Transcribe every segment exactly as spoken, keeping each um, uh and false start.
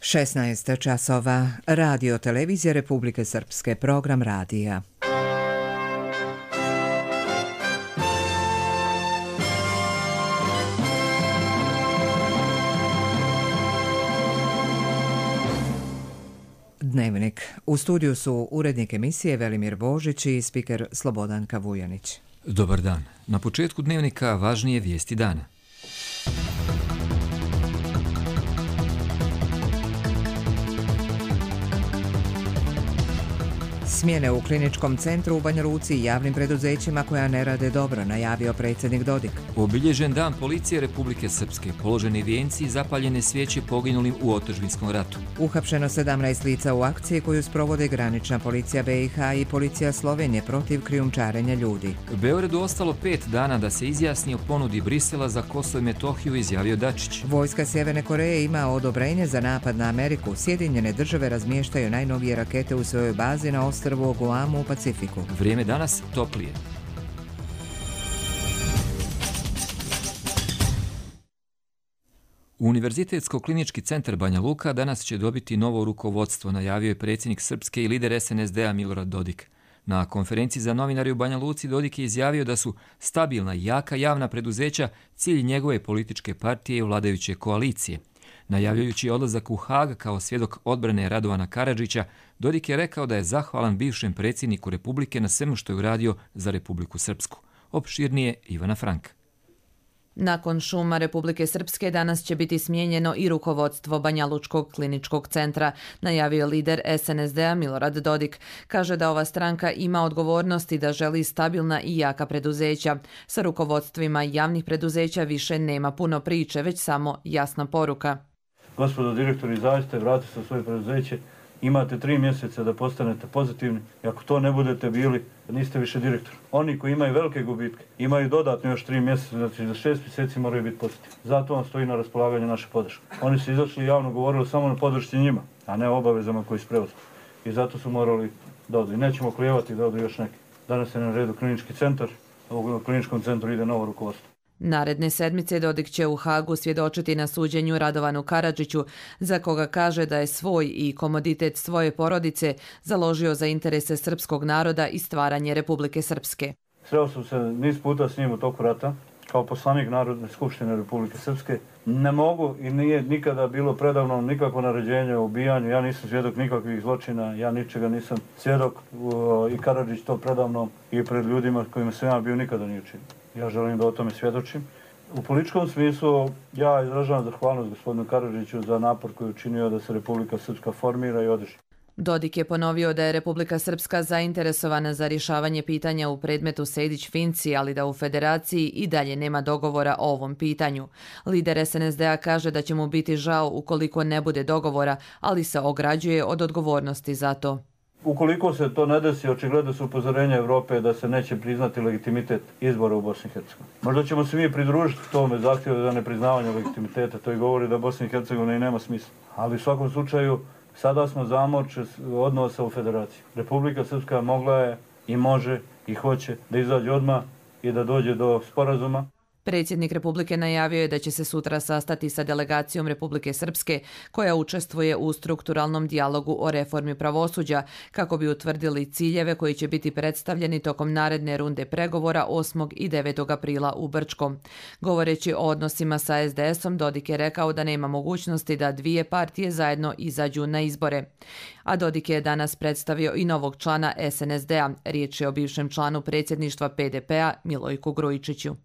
šesnaest časova. Radio televizija Republike Srpske, program radija. Dnevnik. U studiju su urednik emisije Velimir Božić i spiker Slobodanka Vujanić. Dobar dan. Na početku dnevnika važnije vijesti dana. Smjene u kliničkom centru u Banja Luci i javnim preduzećima koja ne rade dobro, najavio predsjednik Dodik. Obilježen dan policije Republike Srpske, položeni vijenci i zapaljene svijeće poginulim u otadžbinskom ratu. Uhapšeno sedamnaest lica u akciji koju sprovode granična policija B i H i policija Slovenije protiv krijumčarenja ljudi. Beogradu ostalo pet dana da se izjasni o ponudi Brisela za Kosovo i Metohiju, izjavio Dačić. Vojska Sjeverne Koreje ima odobrenje za napad na Ameriku. Sjedinjene države razmještaju najnovije rakete u svojoj bazi na ostrvu u Guamu u Pacifiku. Vrijeme danas toplije. Univerzitetsko-klinički centar Banja Luka danas će dobiti novo rukovodstvo, najavio je predsjednik Srpske i lider S N S D-a Milorad Dodik. Na konferenciji za novinari u Banja Luci Dodik je izjavio da su stabilna i jaka javna preduzeća cilj njegove političke partije i vladajuće koalicije. Najavljajući odlazak u Hag kao svjedok odbrane Radovana Karadžića, Dodik je rekao da je zahvalan bivšem predsjedniku Republike na svemu što je uradio za Republiku Srpsku. Opširnije Ivana Frank. Nakon šuma Republike Srpske danas će biti smijenjeno i rukovodstvo Banja Lučkog kliničkog centra, najavio lider S N S D-a Milorad Dodik. Kaže da ova stranka ima odgovornost i da želi stabilna i jaka preduzeća. Sa rukovodstvima javnih preduzeća više nema puno priče, već samo jasna poruka. Gospodo direktori, zaista vratite se u svoje preduzeće. Imate tri mjeseca da postanete pozitivni i ako to ne budete bili, niste više direktor. Oni koji imaju velike gubitke imaju dodatno još tri mjeseca, znači za šest mjeseci moraju biti pozitivni. Zato vam stoji na raspolaganju naša podrška. Oni su izašli i javno govorili samo na podršci njima, a ne o obavezama koji su preuzeli. I zato su morali da odu. I nećemo klijevati da odu još neki. Danas je na redu klinički centar, a u kliničkom centru ide novo rukovodstvo. Naredne sedmice Dodik će u Hagu svjedočiti na suđenju Radovanu Karadžiću, za koga kaže da je svoj i komoditet svoje porodice založio za interese srpskog naroda i stvaranje Republike Srpske. Sreo sam se niz puta s njim u toku rata, kao poslanik Narodne skupštine Republike Srpske. Ne mogu i nije nikada bilo predavno nikakvo naređenje o ubijanju. Ja nisam svjedok nikakvih zločina, ja ničega nisam svjedok i Karadžić to predavno i pred ljudima kojima sam ja bio nikada nije učinio. Ja želim da o tome svjedočim. U političkom smislu ja izražavam zahvalnost gospodinu Karadžiću za napor koji je učinio da se Republika Srpska formira i održi. Dodik je ponovio da je Republika Srpska zainteresovana za rješavanje pitanja u predmetu Sejdić-Finci, ali da u federaciji i dalje nema dogovora o ovom pitanju. Lider S N S D-a kaže da će mu biti žao ukoliko ne bude dogovora, ali se ograđuje od odgovornosti za to. Ukoliko se to ne desi, očigledno su upozorenja Evrope da se neće priznati legitimitet izbora u Bosni i Hercegovini. Možda ćemo se mi pridružiti tome zahtjevu za nepriznavanje legitimiteta, to i govori da Bosna i Hercegovina i nema smisla. Ali u svakom slučaju, sada smo zamorče odnosa u federaciji. Republika Srpska mogla je i može i hoće da izađe odmah i da dođe do sporazuma. Predsjednik Republike najavio je da će se sutra sastati sa delegacijom Republike Srpske koja učestvuje u strukturalnom dijalogu o reformi pravosuđa kako bi utvrdili ciljeve koji će biti predstavljeni tokom naredne runde pregovora osmog i devetog aprila u Brčkom. Govoreći o odnosima sa S D S-om, Dodik je rekao da nema mogućnosti da dvije partije zajedno izađu na izbore. A Dodik je danas predstavio i novog člana S N S D-a. Riječ je o bivšem članu predsjedništva P D P-a Milojku Grujičiću.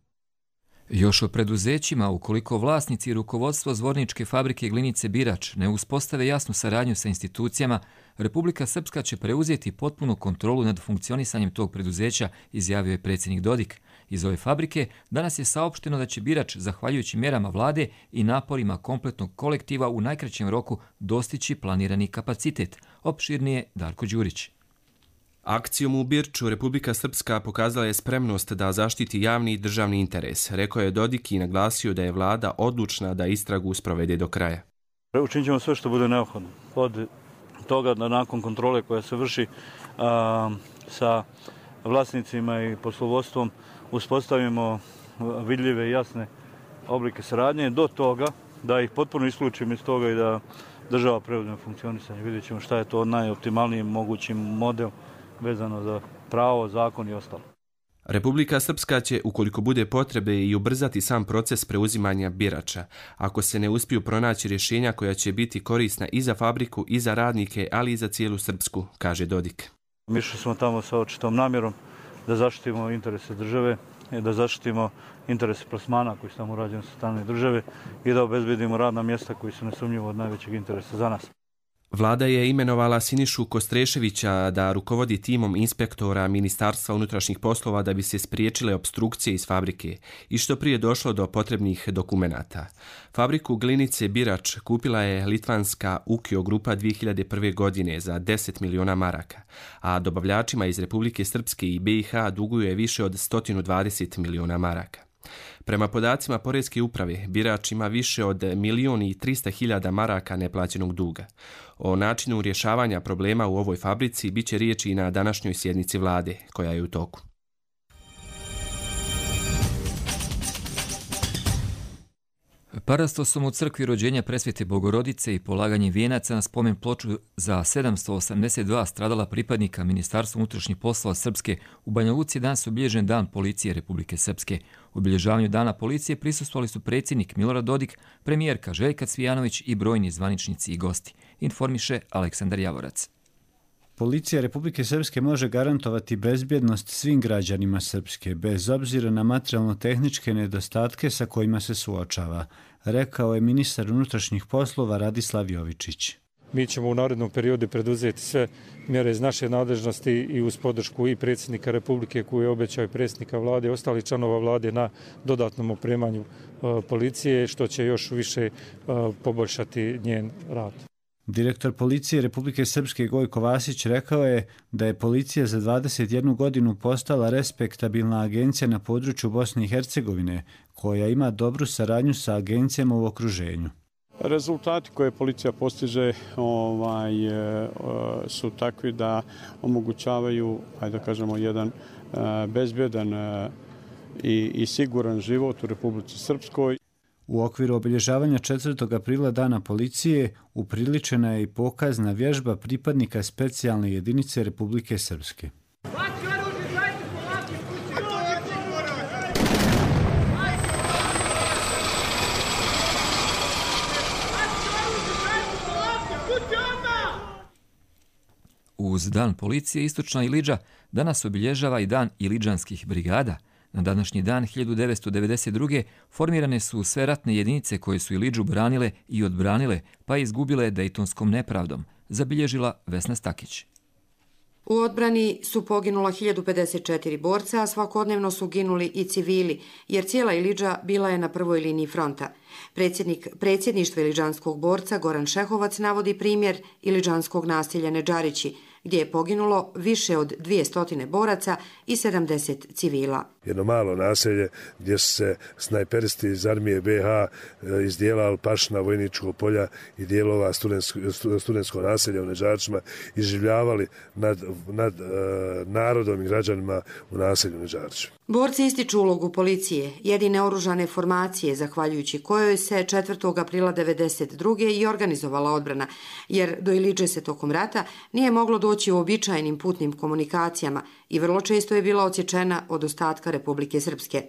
Još o preduzećima, ukoliko vlasnici i rukovodstvo Zvorničke fabrike Glinice Birač ne uspostave jasnu saradnju sa institucijama, Republika Srpska će preuzeti potpunu kontrolu nad funkcionisanjem tog preduzeća, izjavio je predsjednik Dodik. Iz ove fabrike danas je saopšteno da će Birač, zahvaljujući mjerama vlade i naporima kompletnog kolektiva, u najkraćem roku dostići planirani kapacitet. Opširnije Darko Đurić. Akcijom u Birču Republika Srpska pokazala je spremnost da zaštiti javni i državni interes, rekao je Dodik i naglasio da je vlada odlučna da istragu sprovede do kraja. Učinit ćemo sve što bude neophodno. Od toga da nakon kontrole koja se vrši a, sa vlasnicima i poslovodstvom uspostavimo vidljive i jasne oblike saradnje, do toga da ih potpuno isključimo iz toga i da država preuzme funkcionisanje. Vidjet ćemo šta je to najoptimalniji mogući model vezano za pravo, zakon i ostalo. Republika Srpska će, ukoliko bude potrebe, i ubrzati sam proces preuzimanja birača, ako se ne uspiju pronaći rješenja koja će biti korisna i za fabriku, i za radnike, ali i za cijelu Srpsku, kaže Dodik. Mi išli smo tamo sa očitom namjerom da zaštitimo interese države, da zaštitimo interese plasmana koji su tamo urađeni sa strane države i da obezbedimo radna mjesta koji su nesumnjivo od najvećeg interesa za nas. Vlada je imenovala Sinišu Kostreševića da rukovodi timom inspektora Ministarstva unutrašnjih poslova da bi se spriječile opstrukcije iz fabrike i što prije došlo do potrebnih dokumenata. Fabriku glinice Birač kupila je litvanska Ukio grupa dvije hiljade prve. godine za deset miliona maraka, a dobavljačima iz Republike Srpske i B i H duguje više od sto dvadeset miliona maraka. Prema podacima Poreske uprave, Birač ima više od milion i trista hiljada maraka neplaćenog duga. O načinu rješavanja problema u ovoj fabrici bit će riječi i na današnjoj sjednici vlade, koja je u toku. Parastosom u crkvi rođenja Presvete Bogorodice i polaganje vijenaca na spomen ploču za sedamsto osamdeset dva stradala pripadnika Ministarstva unutrašnjih poslova Srpske u Banja Luci danas obilježen Dan policije Republike Srpske. U obilježavanju Dana policije prisustvovali su predsjednik Milorad Dodik, premijerka Željka Cvijanović i brojni zvaničnici i gosti, informiše Aleksandar Javorac. Policija Republike Srpske može garantovati bezbjednost svim građanima Srpske, bez obzira na materijalno-tehničke nedostatke sa kojima se suočava, rekao je ministar unutrašnjih poslova Radislav Jovičić. Mi ćemo u narednom periodu preduzeti sve mjere iz naše nadležnosti i uz podršku i predsjednika Republike koji je obećao i predsjednika vlade i ostalih članova vlade na dodatnom opremanju policije, što će još više poboljšati njen rad. Direktor policije Republike Srpske Gojko Vasić rekao je da je policija za dvadeset jednu godinu postala respektabilna agencija na području Bosne i Hercegovine, koja ima dobru saradnju sa agencijama u okruženju. Rezultati koje policija postiže ovaj, su takvi da omogućavaju, ajde da kažemo, jedan bezbjedan i, i siguran život u Republici Srpskoj. U okviru obilježavanja četvrtog aprila Dana policije upriličena je i pokazna vježba pripadnika specijalne jedinice Republike Srpske. Uz Dan policije Istočna Ilidža danas obilježava i Dan ilidžanskih brigada. Na današnji dan hiljadu devetsto devedeset druge. formirane su sve ratne jedinice koje su Ilidžu branile i odbranile, pa izgubile Dejtonskom nepravdom, zabilježila Vesna Stakić. U odbrani su poginula hiljadu pedeset četiri borca, a svakodnevno su ginuli i civili, jer cijela Ilidža bila je na prvoj liniji fronta. Predsjednik predsjedništva ilidžanskog borca Goran Šehovac navodi primjer ilidžanskog naselja Nedžarići, gdje je poginulo više od dvjesto boraca i sedamdeset civila. Jedno malo naselje gdje su se snajperisti iz armije B H iz dijela Alpašna, Vojničkog polja i dijelova studentskog naselja u Nedžarićima iživljavali nad, nad uh, narodom i građanima u naselju Nedžariću. Borci ističu ulogu policije, jedine oružane formacije, zahvaljujući kojoj se četvrtog aprila devedeset druge. i organizovala odbrana, jer do Ilidže se tokom rata nije moglo doći u običajnim putnim komunikacijama i vrlo često je bila odsječena od ostatka Republike Srpske.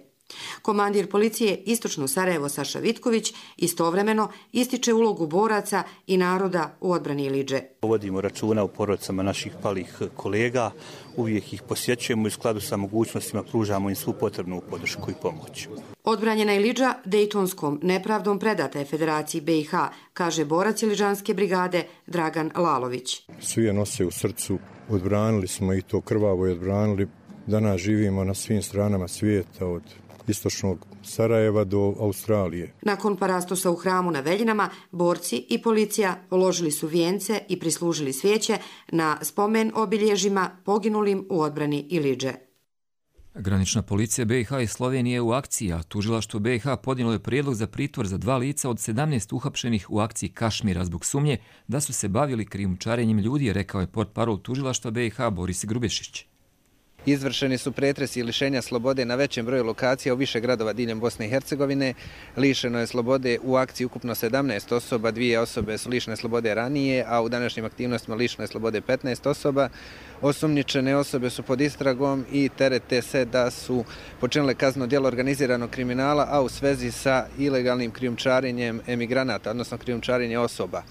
Komandir policije Istočno Sarajevo Saša Vitković istovremeno ističe ulogu boraca i naroda u odbrani Ilidže. Vodimo računa o porodicama naših palih kolega, uvijek ih posjećujemo i u skladu sa mogućnostima pružamo im svu potrebnu podršku i pomoć. Odbranjena Ilidža Dejtonskom nepravdom predata je Federaciji B i H, kaže borac Ilidžanske brigade Dragan Lalović. Svi je nose u srcu, odbranili smo i to krvavo i odbranili. Danas živimo na svim stranama svijeta, od istočnog Sarajeva do Australije. Nakon parastosa u hramu na Veljinama, borci i policija položili su vijence i prislužili svijeće na spomen obilježima poginulim u odbrani Ilidže. Granična policija B i H i Slovenije u akciji, a tužilaštvo B i H podnijelo je prijedlog za pritvor za dva lica od sedamnaest uhapšenih u akciji Kašmira zbog sumnje da su se bavili krijumčarenjem ljudi, rekao je portparol tužilaštva B i H Boris Grubešić. Izvršeni su pretresi i lišenja slobode na većem broju lokacija u više gradova diljem Bosne i Hercegovine. Lišeno je slobode u akciji ukupno sedamnaest osoba, dvije osobe su lišene slobode ranije, a u današnjim aktivnostima lišeno je slobode petnaest osoba. Osumnjičene osobe su pod istragom i terete se da su počinile kazneno djelo organiziranog kriminala, a u svezi sa ilegalnim krijumčarenjem emigranata, odnosno krijumčarenje osoba.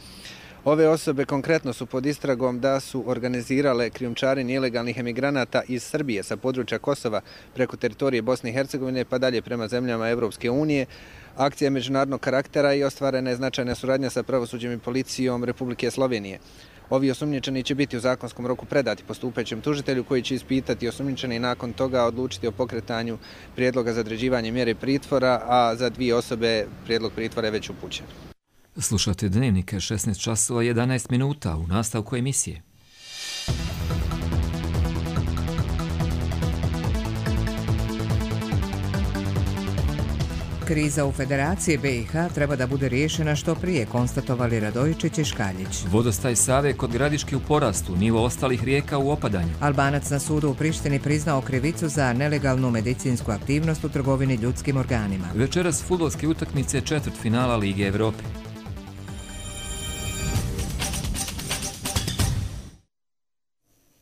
Ove osobe konkretno su pod istragom da su organizirale krijumčarenje ilegalnih emigranata iz Srbije sa područja Kosova preko teritorije Bosne i Hercegovine pa dalje prema zemljama Evropske unije. Akcija je međunarodnog karaktera i ostvarena je značajna suradnja sa pravosuđem i policijom Republike Slovenije. Ovi osumnjičeni će biti u zakonskom roku predati postupajućem tužitelju koji će ispitati osumnjičeni i nakon toga odlučiti o pokretanju prijedloga za određivanje mjere pritvora, a za dvije osobe prijedlog pritvora je već upućen. Slušate Dnevnike šesnaest časova jedanaest minuta u nastavku emisije. Kriza u Federaciji B i H treba da bude riješena što prije, konstatovali Radojičić i Škaljić. Vodostaj Save kod Gradiške u porastu, nivo ostalih rijeka u opadanju. Albanac na sudu u Prištini priznao krivicu za nelegalnu medicinsku aktivnost u trgovini ljudskim organima. Večeras fudbalske utakmice četvrtfinala Lige Evrope.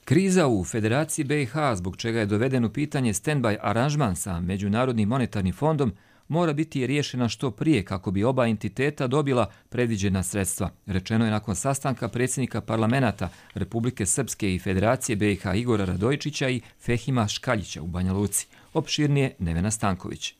Kriza u Federaciji B i H, zbog čega je doveden u pitanje stand-by aranžman sa Međunarodnim monetarnim fondom, mora biti riješena što prije kako bi oba entiteta dobila predviđena sredstva. Rečeno je nakon sastanka predsjednika parlamenta Republike Srpske i Federacije B i H Igora Radojičića i Fehima Škaljića u Banja Luci. Opširnije Nevena Stanković.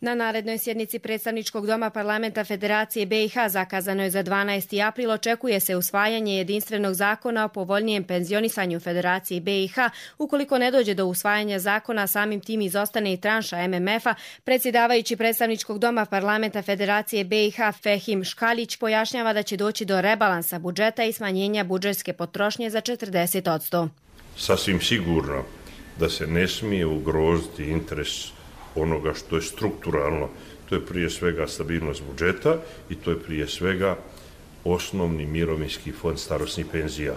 Na narednoj sjednici predstavničkog doma parlamenta Federacije B i H zakazano je za dvanaesti april, očekuje se usvajanje jedinstvenog zakona o povoljnijem penzionisanju Federacije B i H. Ukoliko ne dođe do usvajanja zakona, samim tim izostane i tranša M M F-a. Predsjedavajući predstavničkog doma parlamenta Federacije B i H Fehim Škaljić pojašnjava da će doći do rebalansa budžeta i smanjenja budžetske potrošnje za četrdeset posto. Sasvim sigurno da se ne smije ugroziti interes onoga što je strukturalno, to je prije svega stabilnost budžeta i to je prije svega osnovni mirovinski fond starosnih penzija.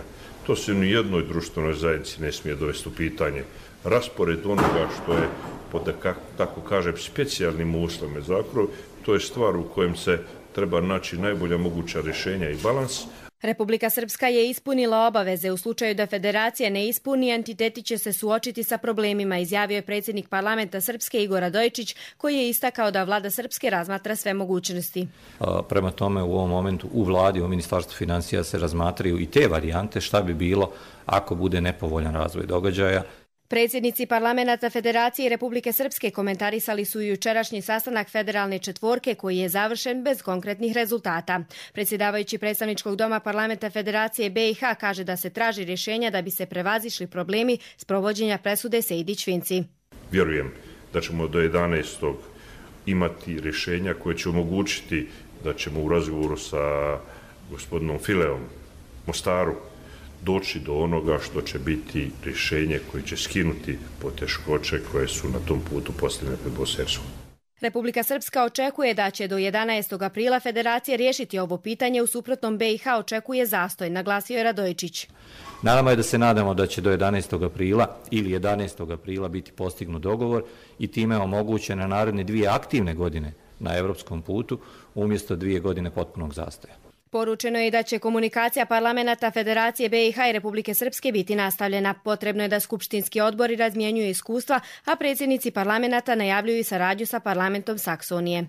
To se ni jednoj društvenoj zajednici ne smije dovesti u pitanje. Raspored onoga što je, pod, tako kažem, specijalnim uslovima zakona, to je stvar u kojem se treba naći najbolja moguća rješenja i balans. Republika Srpska je ispunila obaveze. U slučaju da federacija ne ispuni, entiteti će se suočiti sa problemima, izjavio je predsjednik parlamenta Srpske Igor Radojičić, koji je istakao da vlada Srpske razmatra sve mogućnosti. Prema tome, u ovom momentu u vladi, u Ministarstvu financija se razmatraju i te varijante šta bi bilo ako bude nepovoljan razvoj događaja. Predsjednici parlamenta Federacije Republike Srpske komentarisali su jučerašnji sastanak federalne četvorke koji je završen bez konkretnih rezultata. Predsjedavajući predstavničkog doma parlamenta Federacije B i H kaže da se traži rješenja da bi se prevazišli problemi s provođenja presude Sejdić-Finci. Vjerujem da ćemo do jedanaestog imati rješenja koje će omogućiti da ćemo u razgovoru sa gospodinom Fileom Mostaru doći do onoga što će biti rješenje koje će skinuti poteškoće koje su na tom putu postavljene pred Bosnu i Hercegovinu. Republika Srpska očekuje da će do jedanaestog aprila Federacija riješiti ovo pitanje, u suprotnom B i H očekuje zastoj, naglasio je Radojičić. Naravno je da se nadamo da će do jedanaestog aprila ili jedanaestog aprila biti postignut dogovor i time omogućene naredne dvije aktivne godine na evropskom putu umjesto dvije godine potpunog zastoja. Poručeno je da će komunikacija parlamenta Federacije B i H i Republike Srpske biti nastavljena. Potrebno je da skupštinski odbori razmjenjuju iskustva, a predsjednici parlamenta najavljuju i saradnju sa parlamentom Saksonije.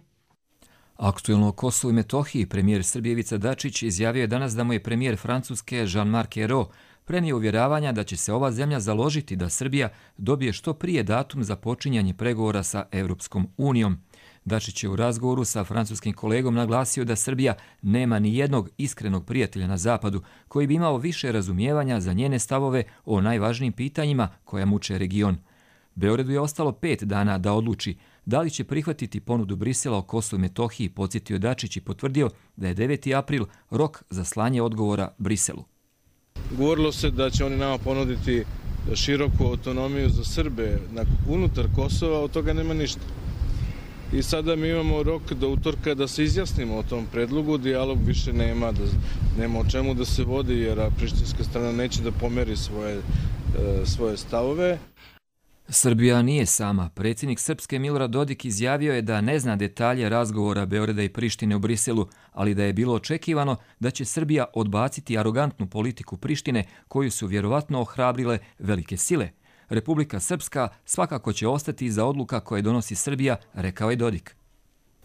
Aktuelno o Kosovu i Metohiji premijer Srbije Ivica Dačić izjavio je danas da mu je premijer Francuske Jean-Marc Ayrault prenio uvjeravanja da će se ova zemlja založiti da Srbija dobije što prije datum za počinjanje pregovora sa Evropskom unijom. Dačić je u razgovoru sa francuskim kolegom naglasio da Srbija nema ni jednog iskrenog prijatelja na zapadu koji bi imao više razumijevanja za njene stavove o najvažnijim pitanjima koja muče region. Beogradu je ostalo pet dana da odluči da li će prihvatiti ponudu Brisela o Kosovu i Metohiji, podsjetio Dačić i potvrdio da je deveti april rok za slanje odgovora Briselu. Govorilo se da će oni nama ponuditi široku autonomiju za Srbe unutar Kosova, od toga nema ništa. I sada mi imamo rok do utorka da se izjasnimo o tom predlogu, dijalog više nema, da, nema o čemu da se vodi jer prištinska strana neće da pomeri svoje, svoje stavove. Srbija nije sama. Predsjednik Srpske Milorad Dodik izjavio je da ne zna detalje razgovora Beograda i Prištine u Briselu, ali da je bilo očekivano da će Srbija odbaciti arogantnu politiku Prištine koju su vjerovatno ohrabrile velike sile. Republika Srpska svakako će ostati iza odluka koje donosi Srbija, rekao je Dodik.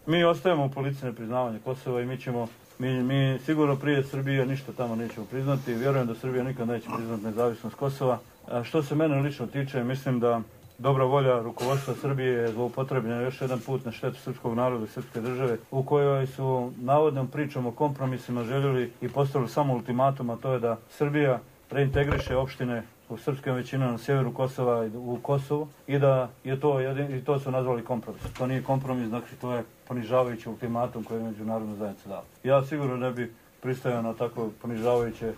Mi ostajemo u politici nepriznavanja Kosova i mi ćemo, mi, mi sigurno prije Srbije ništa tamo nećemo priznati. Vjerujem da Srbija nikad neće priznati nezavisnost Kosova. A što se mene lično tiče, mislim da dobra volja rukovodstva Srbije je zloupotrebljena još jedan put na štetu srpskog naroda i srpske države, u kojoj su navodnom pričom o kompromisima željeli i postavili samo ultimatum, a to je da Srbija reintegriše opštine u srpskim većinama na sjeveru Kosova i u Kosovu i da je to jedin, i to su nazvali kompromis. To nije kompromis, znači to je ponižavajući ultimatum koji je međunarodna zajednica dala. Ja sigurno ne bi pristajao na tako ponižavajuće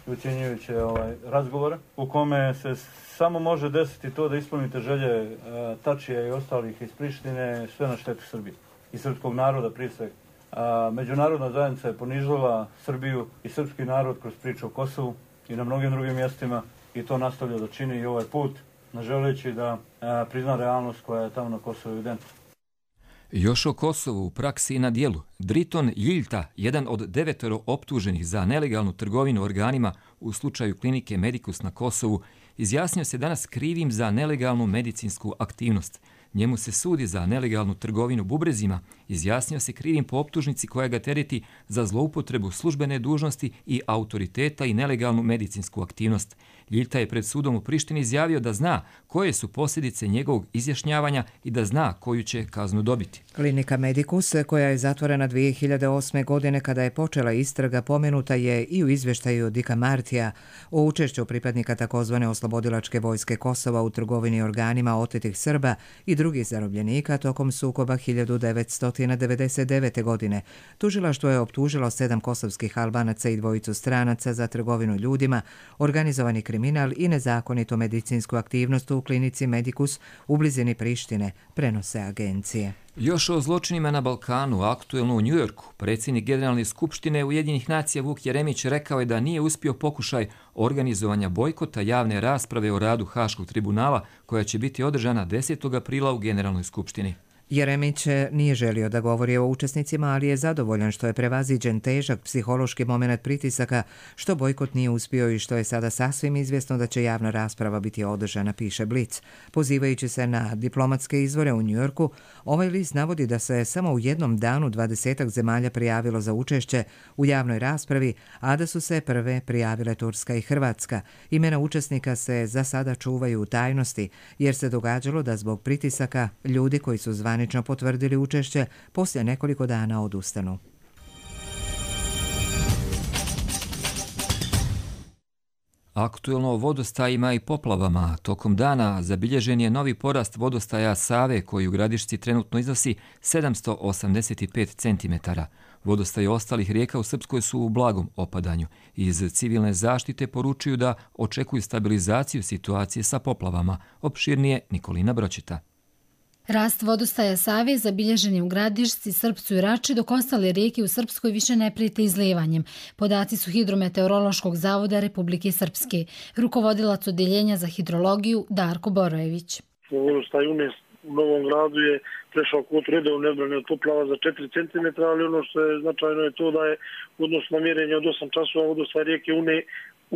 i ucjenjujuće ovaj, razgovore u kome se samo može desiti to da ispunite želje e, Tačija i ostalih iz Prištine, sve na štetu Srbije i srpskog naroda prije svega. A, međunarodna zajednica je ponižila Srbiju i srpski narod kroz priču o Kosovu i na mnogim drugim mjestima i to nastavlja da čini i ovaj put, ne želeći da a, prizna realnost koja je tamo na Kosovu evidentna. Još o Kosovu u praksi i na dijelu. Driton Ljiljta, jedan od devetero optuženih za nelegalnu trgovinu organima u slučaju klinike Medicus na Kosovu, izjasnio se danas krivim za nelegalnu medicinsku aktivnost. Njemu se sudi za nelegalnu trgovinu bubrezima, izjasnio se krivim po optužnici koja ga tereti za zloupotrebu službene dužnosti i autoriteta i nelegalnu medicinsku aktivnost. Ljiljta je pred sudom u Prištini izjavio da zna koje su posljedice njegovog izjašnjavanja i da zna koju će kaznu dobiti. Klinika Medicus, koja je zatvorena dvije hiljade osme. godine kada je počela istraga, pomenuta je i u izvještaju Dika Martija o učešću pripadnika takozvane oslobodilačke vojske Kosova u trgovini organima otetih Srba i drugih zarobljenika tokom sukoba hiljadu devetsto devedeset devete. godine. Tužilaštvo je optužilo sedam kosovskih Albanaca i dvojicu stranaca za trgovinu ljudima, organizovani kriminal i nezakonitu medicinsku aktivnost u klinici Medicus u blizini Prištine, prenose agencije. Još o zločinima na Balkanu, aktuelno u Njujorku, predsjednik Generalne skupštine Ujedinjenih nacija Vuk Jeremić rekao je da nije uspio pokušaj organizovanja bojkota javne rasprave o radu Haškog tribunala koja će biti održana desetog aprila u Generalnoj skupštini. Jeremić nije želio da govori o učesnicima, ali je zadovoljan što je prevaziđen težak psihološki moment pritisaka, što bojkot nije uspio i što je sada sasvim izvjesno da će javna rasprava biti održana, piše Blic. Pozivajući se na diplomatske izvore u Njujorku, ovaj list navodi da se samo u jednom danu dvadesetak zemalja prijavilo za učešće u javnoj raspravi, a da su se prve prijavile Turska i Hrvatska. Imena učesnika se za sada čuvaju u tajnosti, jer se događalo da zbog pritisaka ljudi koji su zvanično potvrdili učešće poslije nekoliko dana odustanu. Aktuelno o vodostajima i poplavama. Tokom dana zabilježen je novi porast vodostaja Save koji u Gradišci trenutno iznosi sedamsto osamdeset pet centimetara. Vodostaji ostalih rijeka u Srpskoj su u blagom opadanju. Iz civilne zaštite poručuju da očekuju stabilizaciju situacije sa poplavama. Opširnije Nikolina Bročita. Rast vodostaja Save zabilježen je u Gradišci, Srpcu i Rači, dok ostale rijeke u Srpskoj više ne prijete izlijevanjem. Podaci su Hidrometeorološkog zavoda Republike Srpske. Rukovodilac odeljenja za hidrologiju Darko Borojević. Vodostaj Unes u Novom Gradu je prešao kvotu redovne odbrane od poplava za četiri centimetra, ali ono što je značajno je to da je u odnosu na mjerenje od osam časova vodostaj rijeke Une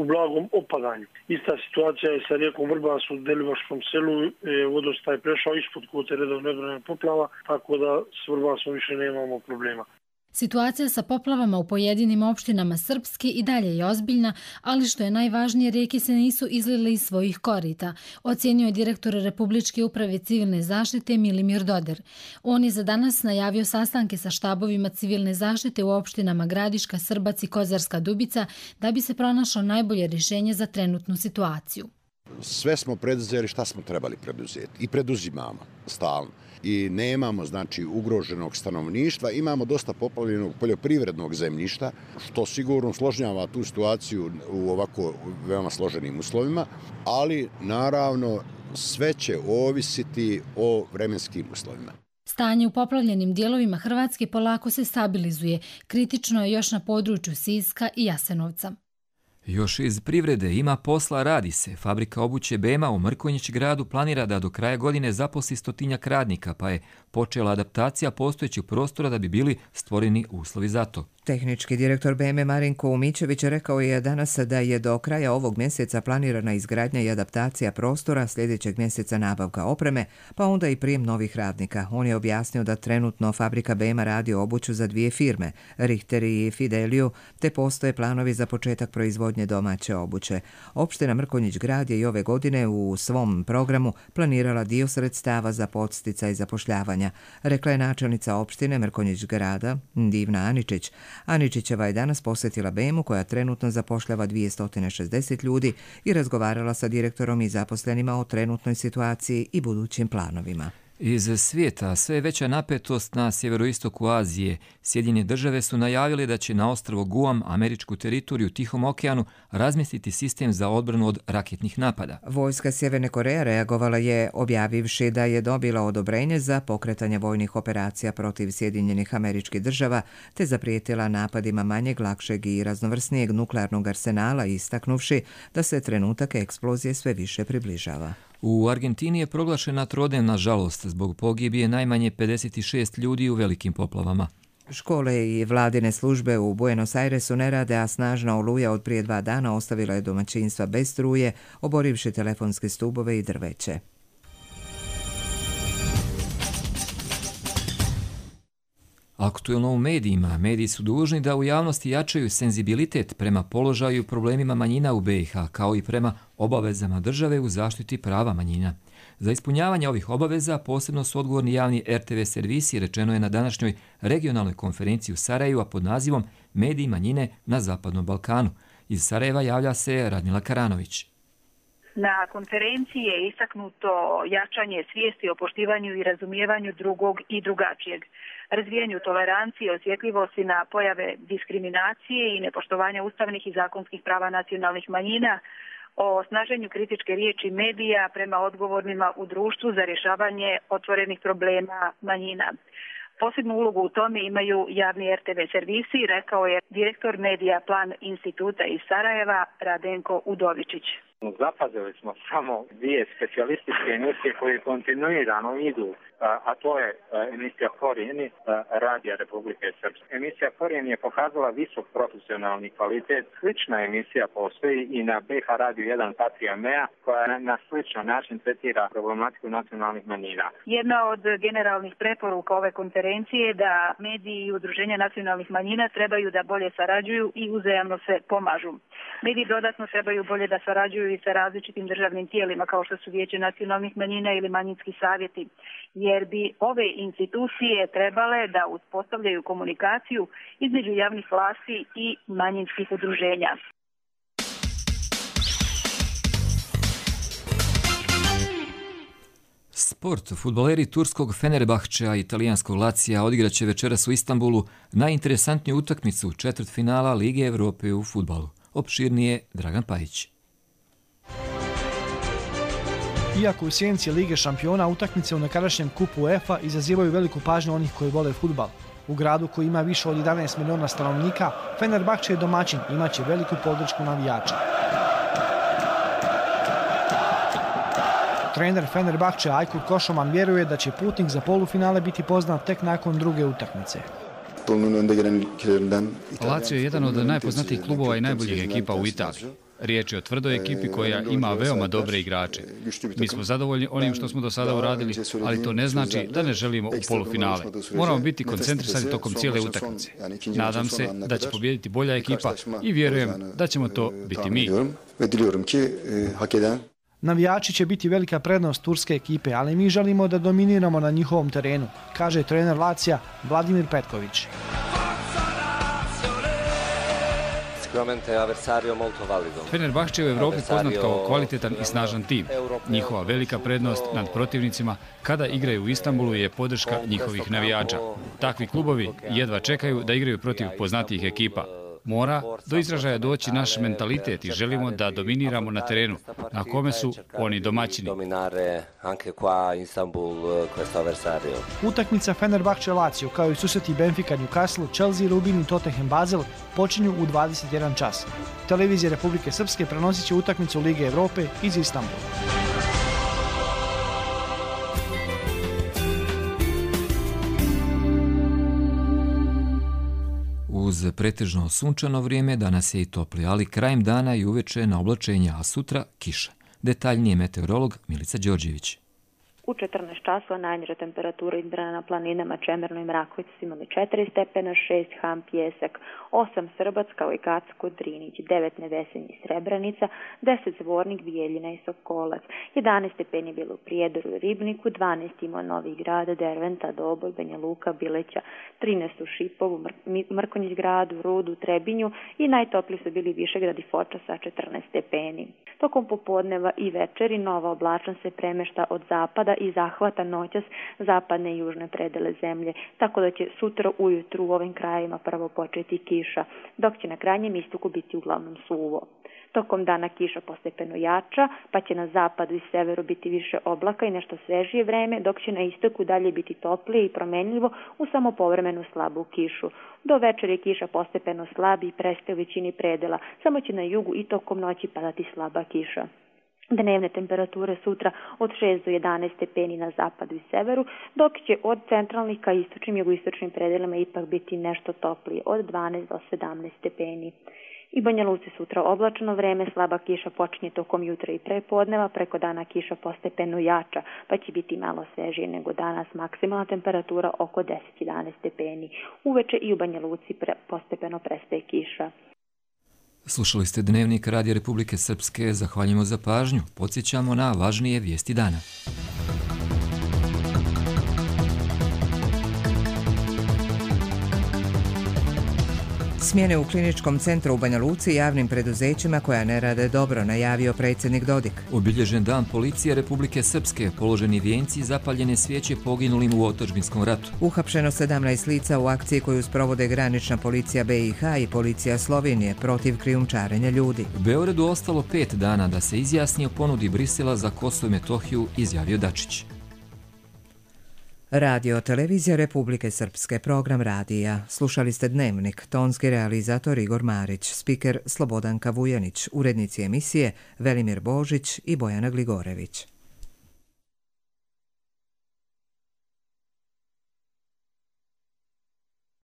u blagom opadanju. Ista situacija je sa rijekom Vrbas u Delibaškom selu, vodostaj je prešao ispod kvote redovne odbrane poplava, tako da s Vrbasom više nemamo problema. Situacija sa poplavama u pojedinim opštinama Srpske i dalje je ozbiljna, ali što je najvažnije, rijeke se nisu izlile iz svojih korita, ocjenio je direktor Republičke uprave civilne zaštite Milimir Doder. On je za danas najavio sastanke sa štabovima civilne zaštite u opštinama Gradiška, Srbac i Kozarska Dubica da bi se pronašlo najbolje rješenje za trenutnu situaciju. Sve smo preduzeli šta smo trebali preduzeti i preduzimamo stalno. I nemamo znači ugroženog stanovništva, imamo dosta poplavljenog poljoprivrednog zemljišta, što sigurno složnjava tu situaciju u ovako veoma složenim uslovima, ali naravno sve će ovisiti o vremenskim uslovima. Stanje u poplavljenim dijelovima Hrvatske polako se stabilizuje, kritično je još na području Siska i Jasenovca. Još iz privrede ima posla, radi se. Fabrika obuće Bema u Mrkonjić gradu planira da do kraja godine zaposli stotinjak radnika, pa je počela adaptacija postojećih prostora da bi bili stvoreni uslovi za to. Tehnički direktor Beme Marinko Umićević rekao je danas da je do kraja ovog mjeseca planirana izgradnja i adaptacija prostora, sljedećeg mjeseca nabavka opreme, pa onda i prijem novih radnika. On je objasnio da trenutno fabrika Bema radi obuću za dvije firme, Richter i Fideliju, te postoje planovi za početak proizvodnje domaće obuće. Opština Mrkonjić grad je i ove godine u svom programu planirala dio sredstava za podsticaj zapošljavanja, rekla je načelnica opštine Mrkonjić grada Divna Aničić. Aničićeva je danas posjetila Bemu koja trenutno zapošljava dvjesto šezdeset ljudi i razgovarala sa direktorom i zaposlenima o trenutnoj situaciji i budućim planovima. Iz svijeta sve veća napetost na sjeveroistoku Azije. Sjedinjene države su najavile da će na ostrvo Guam, američku teritoriju u Tihom okeanu, razmjestiti sistem za odbranu od raketnih napada. Vojska Sjeverne Koreje reagovala je objavivši da je dobila odobrenje za pokretanje vojnih operacija protiv Sjedinjenih američkih država, te zaprijetila napadima manjeg, lakšeg i raznovrsnijeg nuklearnog arsenala, istaknuvši da se trenutak eksplozije sve više približava. U Argentini je proglašena trodnevna žalost zbog pogibije najmanje pedeset šest ljudi u velikim poplavama. Škole i vladine službe u Buenos Airesu ne rade, a snažna oluja od prije dva dana ostavila je domaćinstva bez struje, oborivši telefonske stubove i drveće. Aktuelno u medijima. Mediji su dužni da u javnosti jačaju senzibilitet prema položaju i problemima manjina u B i H, kao i prema obavezama države u zaštiti prava manjina. Za ispunjavanje ovih obaveza posebno su odgovorni javni R T V servisi, rečeno je na današnjoj regionalnoj konferenciji u Sarajevu, a pod nazivom Mediji manjine na Zapadnom Balkanu. Iz Sarajeva javlja se Radmila Karanović. Na konferenciji je istaknuto jačanje svijesti o poštivanju i razumijevanju drugog i drugačijeg, razvijanju tolerancije, osjetljivosti na pojave diskriminacije i nepoštovanja ustavnih i zakonskih prava nacionalnih manjina, o snaženju kritičke riječi medija prema odgovornima u društvu za rješavanje otvorenih problema manjina. Posebnu ulogu u tome imaju javni R T V servisi, rekao je direktor Medija Plan instituta iz Sarajeva Radenko Udovičić. Zapazili smo samo dvije specijalističke emisije koje kontinuirano idu, a to je emisija Korijeni Radija Republike Srpske. Emisija Korijeni je pokazala visok profesionalni kvalitet. Slična emisija postoji i na B H Radio jedan Patrija Mea, koja na sličan način tretira problematiku nacionalnih manjina. Jedna od generalnih preporuka ove konferencije je da mediji i udruženja nacionalnih manjina trebaju da bolje sarađuju i uzajamno se pomažu. Mediji dodatno trebaju bolje da sarađuju i sa različitim državnim tijelima kao što su Vijeće nacionalnih manjina ili manjinski savjeti, jer bi ove institucije trebale da uspostavljaju komunikaciju između javnih vlasti i manjinskih udruženja. Sport. Fudbaleri turskog Fenerbahčea i italijanskog Lacija odigraće večeras u Istanbulu najinteresantniju utakmicu četvrtfinala Lige Evrope u fudbalu. Opširnije Dragan Pajić. Iako u sjenci Lige šampiona utakmice u nekadašnjem kupu UEFA izazivaju veliku pažnju onih koji vole fudbal. U gradu koji ima više od jedanaest miliona stanovnika, Fenerbahče je domaćin i imaće veliku podršku navijača. Trener Fenerbahče Ajkur Košoman vjeruje da će putnik za polufinale biti poznat tek nakon druge utakmice. Lazio je jedan od najpoznatijih klubova i najboljih ekipa u Italiji. Riječ je o tvrdoj ekipi koja ima veoma dobre igrače. Mi smo zadovoljni onim što smo do sada uradili, ali to ne znači da ne želimo u polufinale. Moramo biti koncentrisani tokom cijele utakmice. Nadam se da će pobijediti bolja ekipa i vjerujem da ćemo to biti mi. Navijači će biti velika prednost turske ekipe, ali mi želimo da dominiramo na njihovom terenu, kaže trener Lazija Vladimir Petković. Fenerbahče je u Evropi poznat kao kvalitetan i snažan tim. Njihova velika prednost nad protivnicima kada igraju u Istanbulu je podrška njihovih navijača. Takvi klubovi jedva čekaju da igraju protiv poznatijih ekipa. Mora do izražaja doći naš mentalitet i želimo da dominiramo na terenu, na kome su oni domaćini. Utakmica Fenerbahče Lazio, kao i susreti Benfica Newcastle, Chelsea Rubin i Tottenham Basel počinju u dvadeset jedan čas. Televizija Republike Srpske prenosit će utakmicu Lige Evrope iz Istanbula. Uz pretežno sunčano vrijeme danas je i topli, ali krajem dana i uveče na oblačenje, a sutra kiša. Detaljnije meteorolog Milica Đorđević. U četrnaest časova najniža temperatura izmjerena na planinama Čemerno i Mrakovica su imali četiri stepena, šest Ham, Pjesak, osam Srbac kao i Kacko, Drinić, devet Nevesenj i Srebrenica, deset Zvornik, Bijeljina i Sokolac, jedanaest stepeni bilo u Prijedoru i Ribniku, dvanaest imao Novi Grad, Derventa, Doboj, Banja Luka, Bileća, trinaest u Šipovu, Mrkonjić gradu, Rudu, Trebinju i najtopliji su bili Višegrad i Foča sa četrnaest stepeni. Tokom popodneva i večeri nova oblačnost se premešta od zapada i zahvata noćas zapadne i južne predele zemlje, tako da će sutra ujutru u ovim krajevima prvo početi kiša, dok će na krajnjem istoku biti uglavnom suvo. Tokom dana kiša postepeno jača, pa će na zapadu i severu biti više oblaka i nešto svežije vreme, dok će na istoku dalje biti toplije i promenljivo u samo povremenu slabu kišu. Do večeri kiša postepeno slabi i prestaje u većini predela, samo će na jugu i tokom noći padati slaba kiša. Dnevne temperature sutra od šest do jedanaest stepeni na zapadu i severu, dok će od centralnih ka istočnim i jugoistočnim predelima ipak biti nešto toplije, od dvanaest do sedamnaest stepeni. I Banja Luci sutra oblačno vreme, slaba kiša počinje tokom jutra i prepodneva, preko dana kiša postepeno jača, pa će biti malo svežije nego danas, maksimalna temperatura oko deset do jedanaest stepeni. Uveče i u Banja Luci pre, postepeno prestaje kiša. Slušali ste Dnevnik Radija Republike Srpske, zahvaljujemo za pažnju. Podsjećamo na važnije vijesti dana. Smjene u kliničkom centru u Banja Luci javnim preduzećima koja ne rade dobro, najavio predsjednik Dodik. Obilježen dan policije Republike Srpske, položeni vijenci i zapaljene svijeće poginulim u otadžbinskom ratu. Uhapšeno sedamnaest lica u akciji koju sprovode granična policija B i H i policija Slovenije protiv krijumčarenja ljudi. U Beogradu ostalo pet dana da se izjasni o ponudi Brisela za Kosovo i Metohiju, izjavio Dačić. Radio Televizija Republike Srpske, program radija. Slušali ste Dnevnik, tonski realizator Igor Marić, spiker Slobodanka Vujanić, urednici emisije Velimir Božić i Bojana Gligorević.